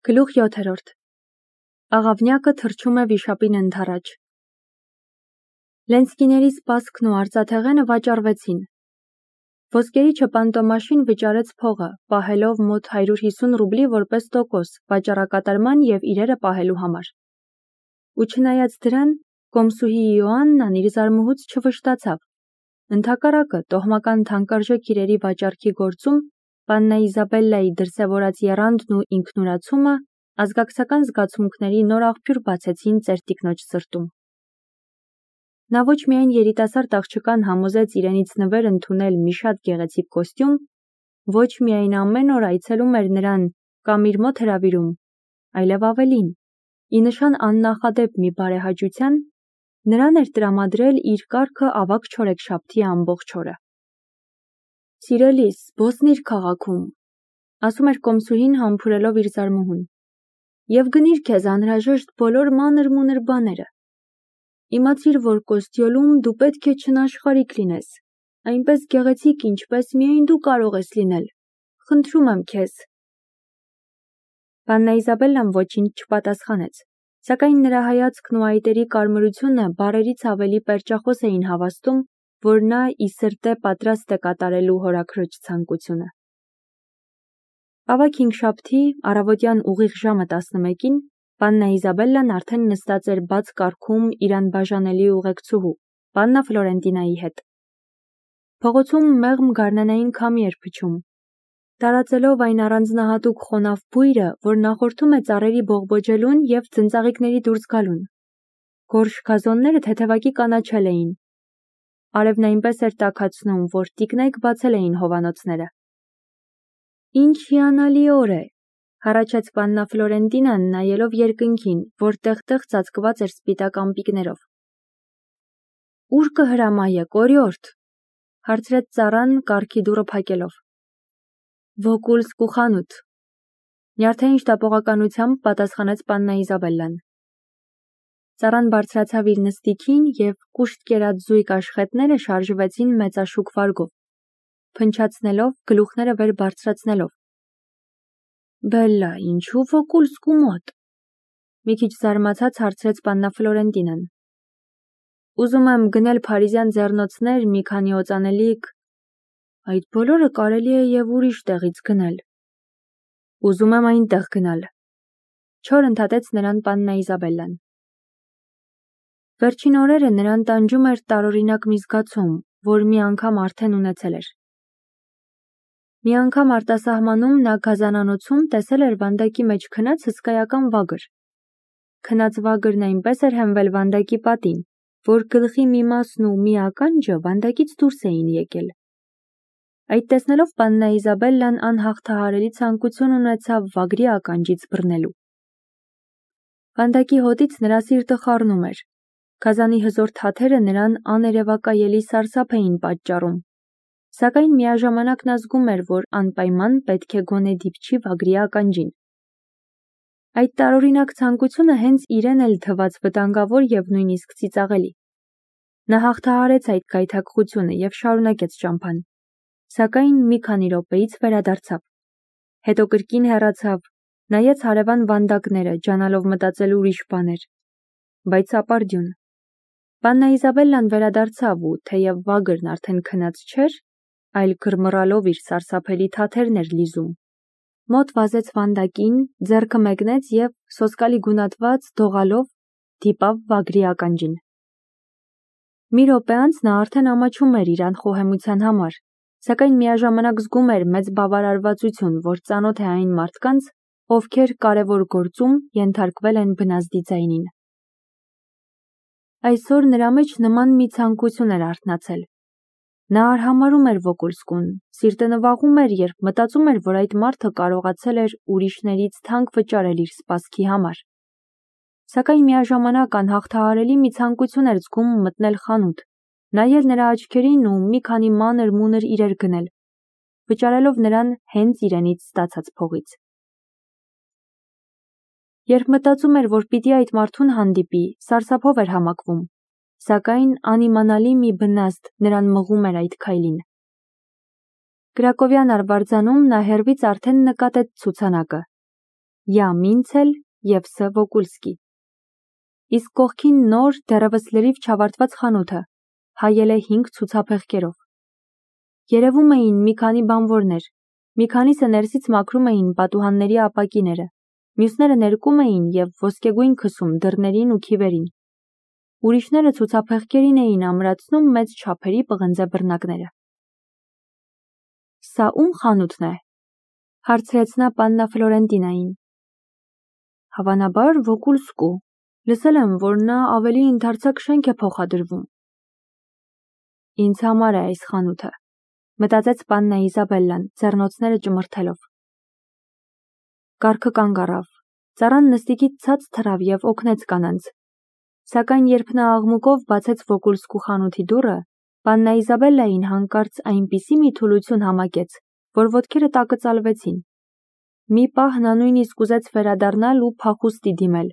Գլուխ 7. Աղավնյակը թռչում է վիշապին ընդառաջ։ Լենսկիների սպասքն ու արծաթեղենը վաճառվեցին։ Ոսկերիչը պանտոմաշին վճարեց փողը, պահելով մոտ 150 ռուբլի որպես տոկոս վաճառակատարման և իրերը պահելու համար։ Ու չնայած դրան, կոմսուհի Իոաննան իր զարմուհուց չվշտացավ։ Ընդհակառակը, տոհմական թանկարժեք իրերի վաճառքի գործում պաննա Իզաբելլայի դրսևորած եռանդն ու ինքնուրացումը ազգակցական զգացմունքների նոր աղբյուր բացեցին ծերտիկնոջ սրտում։ Նա ոչ միայն երիտասարդ աղջկան համոզեց իրենից նվեր ընդունել մի շատ գեղեցիկ կոստյում, ոչ միայն ամեն օր այցելում էր նրան կամ իր մոտ հրավիրում, այլև ավելին, ի նշան աննախադեպ մի բարեհաճության, նրան էր տրամադրել իր կառքը ավագ չորեքշաբթի ամբողջ օրը։ Սիրելիս, Բոսնիր քաղաքում, ասում էր կոմսուհին համբուրելով իր զարմուհուն, և գնիր քեզ անհրաժեշտ բոլոր մանր-մունր բաները։ Իմացիր, որ Կոստյոլում դու պետք է չնաշխարհիկ լինես, այնպես գեղեցիկ, ինչպես միայն դու կարող ես լինել։ Խնդրում եմ քեզ։ Պաննա Իզաբելլան ոչինչ չպատասխանեց, սակայն նրա հայացքն ու այտերի կարմրությունը բառերից ավելի պերճախոս էին հավաստում, որ նա ի սրտե պատրաստ է կատարելու հորաքրոջ ցանկությունը։ Ավագ հինգշաբթի առավոտյան ուղիղ ժամը 11-ին պաննա Իզաբելլան արդեն նստած էր բաց կառքում իր անբաժանելի ուղեկցուհու, պաննա Ֆլորենտինայի հետ։ Փողոցում մեղմ գարնանային քամի էր փչում, տարածելով այն առանձնահատուկ խոնավ բույրը, որ նախորդում է ծառերի բողբոջելուն և ձնծաղիկների դուրս գալուն։ Գորշ գազոնները թեթևակի կանաչել էին։ Արևն այնպես էր տաքացնում, որ տիկնայք բացել էին հովանոցները։ Ինչ հիանալի օր է, հառաչեց պաննա Ֆլորենտինան, նայելով երկնքին, որ տեղ-տեղ ծածկված էր սպիտակ ամպիկներով։ Ուր կհրամայեք, օրիորդ, հարցրեց ծառան կառքի դուռը փակելով։ Վոկուլսկու խանութ, նյարդային շտապողականությամբ պատասխանեց պաննա Իզաբելլան։ Ծառան բարձրացավ իր նստիքին և կուշտ կերած զույգ աշխատները շարժվեցին մեծաշուք վարգով, փնչացնելով, գլուխները վեր բարձրացնելով։ Բելլա, ինչու Վոկուլսկու մոտ։ Մի քիչ զարմացած հարցրեց պաննա Ֆլորենտինան։ Ուզում եմ գնել փարիզյան ձեռնոցներ, մի քանի օծանելիք։ Այդ բոլորը կարելի է և ուրիշ տեղից գնել։ Ուզում եմ այնտեղ գնալ։ Չոր ընդհատեց նրան պաննա Իզաբելլան։ Վերջին օրերը նրան տանջում էր տարօրինակ մի զգացում, որ մի անգամ արդեն ունեցել էր։ Մի անգամ արտասահմանում նա գազանանոցում տեսել էր վանդակի մեջ քնած հսկայական վագր։ Քնած վագրն այնպես էր հենվել վանդակի պատին, որ գլխի մի մասն ու մի ականջը վանդակից դուրս էին եկել։ Այդ տեսնելով պաննա Իզաբելլան անհաղթահարելի ցանկություն ունեցավ վագրի ականջից բռնելու։ Վանդակի հոտից նրա սիրտը խառնում էր։ Գազանի հզոր թաթերը նրան աներևակայելի սարսափ էին պատճառում, սակայն միաժամանակ նա զգում էր, որ անպայման պետք է գոնե դիպչի վագրի ականջին։ Այդ տարօրինակ ցանկությունը հենց իրեն էլ թվաց վտանգավոր և նույնիսկ ծիծաղելի։ Նա հաղթահարեց այդ գայթակղությունը և շարունակեց ճամփան, սակայն մի քանի րոպեից վերադարձավ։ Հետո կրկին հեռացավ, նայեց հարևան վանդակները, ջանալով մտածել ուրիշ բաներ։ Բայց ապարդյուն։ Պաննա Իզաբելլան վերադարձավ ու, թեև վագրն արդեն քնած չէր, այլ գրմռալով իր սարսափելի թաթերն էր լիզում, մոտ վազեց վանդակին, ձեռքը մեկնեց և, սոսկալի գունատված, դողալով, դիպավ վագրի ականջին։ Մի րոպե անց նա արդեն ամաչում էր իր անխոհեմության համար, սակայն միաժամանակ զգում էր մեծ բավարարվածություն, որ ծանոթ է այն մարդկանց, ովքեր կարևոր գործում ենթարկվել են բնազդի ձայնին։ Այսօր նրա մեջ նման մի ցանկություն էր արթնացել։ Նա արհամարհում էր Վոկուլսկուն, սիրտը նվաղում էր, երբ մտածում էր, որ այդ մարդը կարողացել էր ուրիշներից թանկ վճարել իր սպասքի համար։ Սակայն միաժամանակ անհաղթահարելի մի ցանկություն էր զգում մտնել խանութ, նայել նրա աչքերին ու մի քանի մանր-մունր իրեր գնել, վճարելով նրան հենց իրենից ստացած փողից։ Երբ մտածում էր, որ պիտի այդ մարդուն հանդիպի, սարսափով էր համակվում, սակայն անիմանալի մի բնազդ նրան մղում էր այդ քայլին։ Կրակովյան արվարձանում նա հեռվից արդեն նկատեց ցուցանակը։ Յ. Մինցել և Ս. Վոկուլսկի։ Իսկ կողքին նոր, դեռևս լրիվ չավարտված խանութը հայել է 5 ցուցափեղկերով։ Երևում էին մի քանի բանվորներ, մի քանիսը ներսից մաքրում էին պատուհանների ապակիները, մյուսները ներկում էին և ոսկեգույն քսում դռներին ու քիվերին։ Ուրիշները ցուցափեղկերին էին ամրացնում մեծ չափերի պղնձե բռնակները։ Սա ում խանութն է, հարցրեց նա պաննա Ֆլորենտինային։ Հավանաբար Վոկուլսկու, լսել եմ, որ նա ավելի ընդարձակ շենք է փոխադրվում։ Ինձ համար է այս խանութը, մտածեց պաննա Իզաբելլան, ձեռնոցները ճմրթելով։ Կառքը կանգ առավ, ծառան նստիկից ցած թռավ և օգնեց կանանց։ Սակայն երբ նա աղմուկով բացեց Վոկուլսկու խանութի դուռը, պաննա Իզաբելլային հանկարծ այնպիսի մի թուլություն համակեց, որ ոտքերը տակը ծալվեցին։ Մի պահ նա նույնիսկ ուզեց վերադառնալ ու փախուստի դիմել,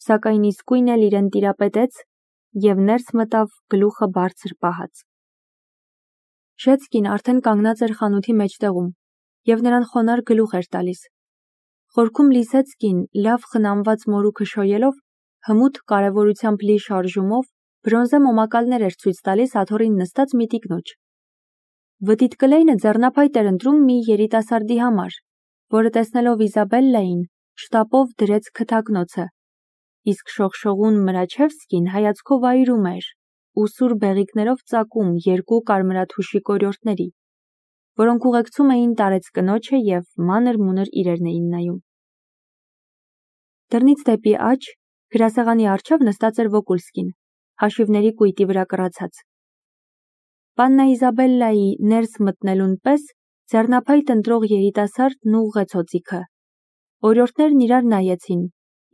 սակայն իսկույն էլ իրեն տիրապետեց և ներս մտավ գլուխը բարձր պահած։ Շեցկին արդեն կանգնած էր խանութի մեջտեղում և նրան խոնարհ գլուխ էր տալիս։ Խորքում Լիսեցկին լավ խնամված մորուքը շոյելով, հմուտ կարևորությամբ լի շարժումով բրոնզե մոմակալներ էր ցույց տալիս աթոռին նստած մի տիկնոջ։ Վտիտ Կլեյնը ձեռնափայտ էր ընտրում մի երիտասարդի համար, որը տեսնելով Իզաբելլային, շտապով դրեց քթակնոցը, իսկ շողշողուն Մրաչևսկին հայացքով այրում էր ու սուր բեղիկներով ծակում 2 կարմրաթուշի կորյորտների, որոնք ուղեկցում էին տարեց կնոջը և մանր-մունր իրերն էին նայում։ Դռնից դեպի աջ, գրասեղանի առջև նստած էր Վոկուլսկին, հաշիվների կույտի վրա կռացած։ Պաննա Իզաբելլայի ներս մտնելուն պես ձեռնափայտ ընտրող երիտասարդն ուղղեց օձիքը։ Օրիորդներն իրար նայեցին,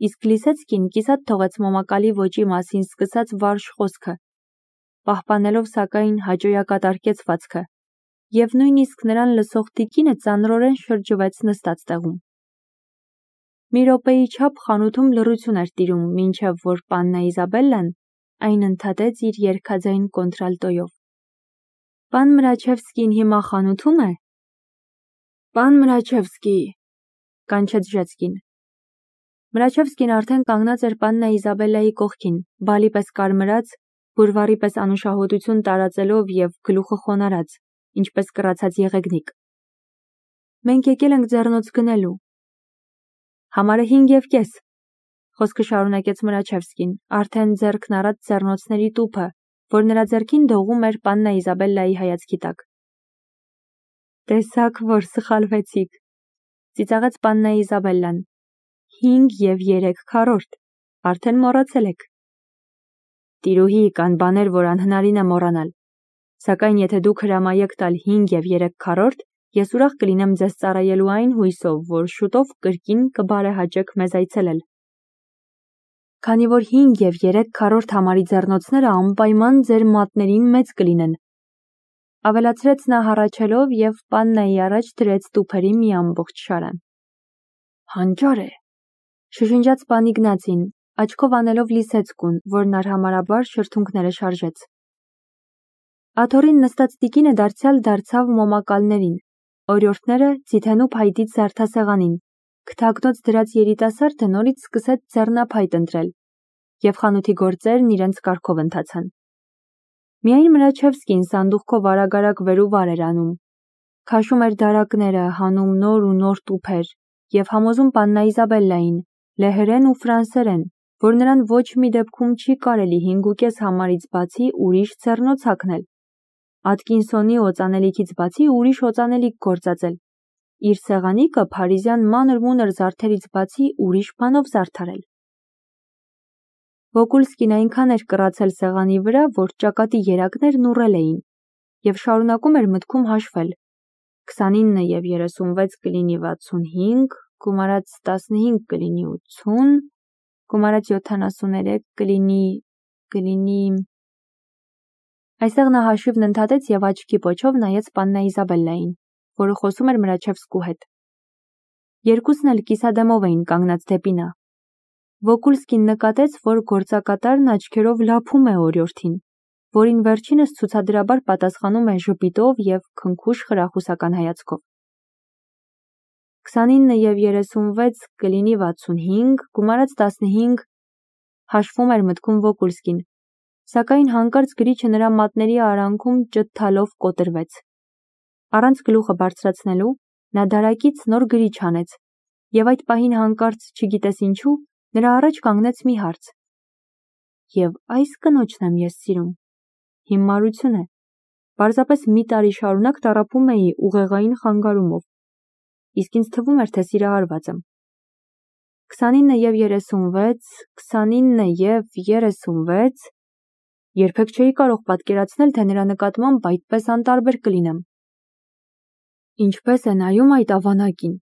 իսկ Լիսեցկին կիսատ թողեց մոմակալի ոճի մասին սկսած վարժ խոսքը, պահպանելով սակայն հաճոյակատար կեցվածքը, և նույնիսկ նրան լսող տիկինը ծանրորեն շրջվեց նստած տեղում։ Մի րոպեի չափ խանութում լռություն էր տիրում, մինչև որ պաննա Իզաբելլան այն ընդհատեց իր երգաձայն կոնտրալտոյով։ Պան Մրաչևսկին հիմա խանութում է։ Պան Մրաչևսկի, կանչեց Ժեցկին։ Մրաչևսկին արդեն կանգնած էր պաննա Իզաբելլայի կողքին, բալի պես կարմրած, բուրվարի պես անուշահոտություն տարածելով և գլուխը խոնարհած, ինչպես կռացած եղեգնիկ։ Մենք եկել ենք ձեռնոց գնելու։ Համարը 5.5, խոսքը շարունակեց Մրաչևսկին, արդեն ձեռքն առած ձեռնոցների տուփը, որ նրա ձեռքին դողում էր պաննա Իզաբելլայի հայացքի տակ։ Տեսաք, որ սխալվեցիք, ծիծաղեց պաննա Իզաբելլան։ 5.3, արդեն մոռացել եք։ Տիրուհի, կան բաներ, որ անհնարին է մոռանալ, սակայն եթե դուք հրամայեք տալ 5.3, ես ուրախ կլինեմ ձեզ ծառայելու այն հույսով, որ շուտով կրկին կբարեհաճեք մեզ այցելել։ Քանի որ 5.3 համարի ձեռնոցները անպայման ձեր մատներին մեծ կլինեն, ավելացրեց նա հառաչելով և պաննայի առաջ դրեց տուփերի մի ամբողջ շարան։ Հանճար է, շշնջաց պան Իգնացին, աչքով անելով Լիսեցկուն, որն արհամարհաբար շրթունքները շարժեց։ Աթոռին նստած տիկինը դարձյալ դարձավ մոմակալներին, օրիորդները ձիթենու փայտից զարդասեղանին, քթակնոց դրած երիտասարդը նորից սկսեց ձեռնափայտ ընտրել, և խանութի գործերն իրենց կարգով ընթացան։ Միայն Մրաչևսկին սանդուղքով արագ-արագ վեր ու վար էր անում, քաշում էր դարակները, հանում նոր ու նոր տուփեր և համոզում պաննա Իզաբելլային, լեհերեն ու ֆրանսերեն, որ նրան ոչ մի դեպքում չի կարելի 5.5 համարից բացի ուրիշ ձեռնոց հագնել, Ատկինսոնի օծանելիքից բացի ուրիշ օծանելիք գործածել, իր սեղանիկը փարիզյան մանր-մունր զարդերից բացի ուրիշ բանով զարդարել։ Վոկուլսկին այնքան էր կռացել սեղանի վրա, որ ճակատի երակներն ուռել էին, և շարունակում էր մտքում հաշվել. 29 և 36 կլինի 65, գումարած 15 կլինի 80, գումարած 73 կլինի… Այստեղ նա հաշիվն ընդհատեց և աչքի պոչով նայեց պաննա Իզաբելլային, որը խոսում էր Մրաչևսկու հետ։ Երկուսն էլ կիսադեմով էին կանգնած դեպի նա։ Վոկուլսկին նկատեց, որ գործակատարն աչքերով լափում է օրիորդին, որին վերջինս ցուցադրաբար պատասխանում է ժպիտով և քնքուշ խրախուսական հայացքով։ 29 և 36 կլինի 65, գումարած 15 հաշվում էր մտքում Վոկուլսկին, սակայն հանկարծ գրիչը նրա մատների արանքում ճթթալով կոտրվեց։ Առանց գլուխը բարձրացնելու նա դարակից նոր գրիչ հանեց, և այդ պահին հանկարծ, չգիտես ինչու, նրա առաջ կանգնեց մի հարց. «Եվ այս կնոջն եմ ես սիրում»։ Հիմարություն է։ Պարզապես մի տարի շարունակ տառապում էի ուղեղային խանգարումով, իսկ ինձ թվում էր, թե սիրահարված եմ։ 29 և 36, 29 և 36… Երբեք չէի կարող պատկերացնել, թե նրա նկատմամբ այդպես անտարբեր կլինեմ։ Ինչպես է նայում այդ ավանակին։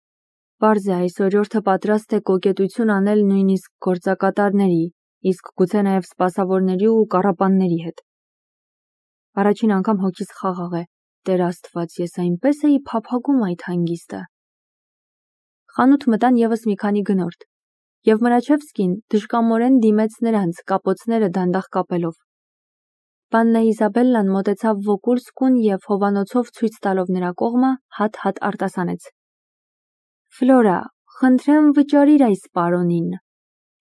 Պարզ է, այս օրիորդը պատրաստ է կոկետություն անել նույնիսկ գործակատարների, իսկ գուցե նաև սպասավորների ու կառապանների հետ։ Առաջին անգամ հոգիս խաղաղ է։ Տեր Աստված, ես այնպես էի փափագում այդ հանգիստը։ Խանութ մտան ևս մի քանի գնորդ, և Մրաչևսկին դժկամորեն դիմեց նրանց, կապոցները դանդաղ կապելով։ Պաննա Իզաբելլան մոտեցավ Վոկուլսկուն և հովանոցով ցույց տալով նրա կողմը հատ-հատ արտասանեց. «Ֆլորա, խնդրեմ վճարիր այս պարոնին,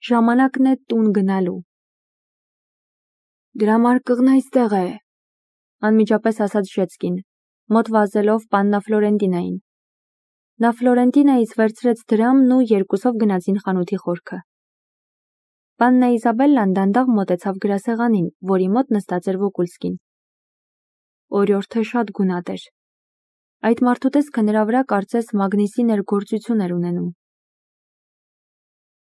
ժամանակն է տուն գնալու»։ «Գրամարկղն այստեղ է», անմիջապես ասաց Ժեցկին, մոտ վազելով պաննա Ֆլորենտինային։ Նա Ֆլորենտինայից վերցրեց դրամն ու երկուսով գնացին խանութի խորքը։ Պաննա Իզաբելլան դանդաղ մոտեցավ գրասեղանին, որի մոտ նստած էր Վոկուլսկին։ Օրիորդը շատ գունատ էր։ Այդ մարդու տեսքը նրա վրա կարծես մագնիսի ներգործություն էր ունենում։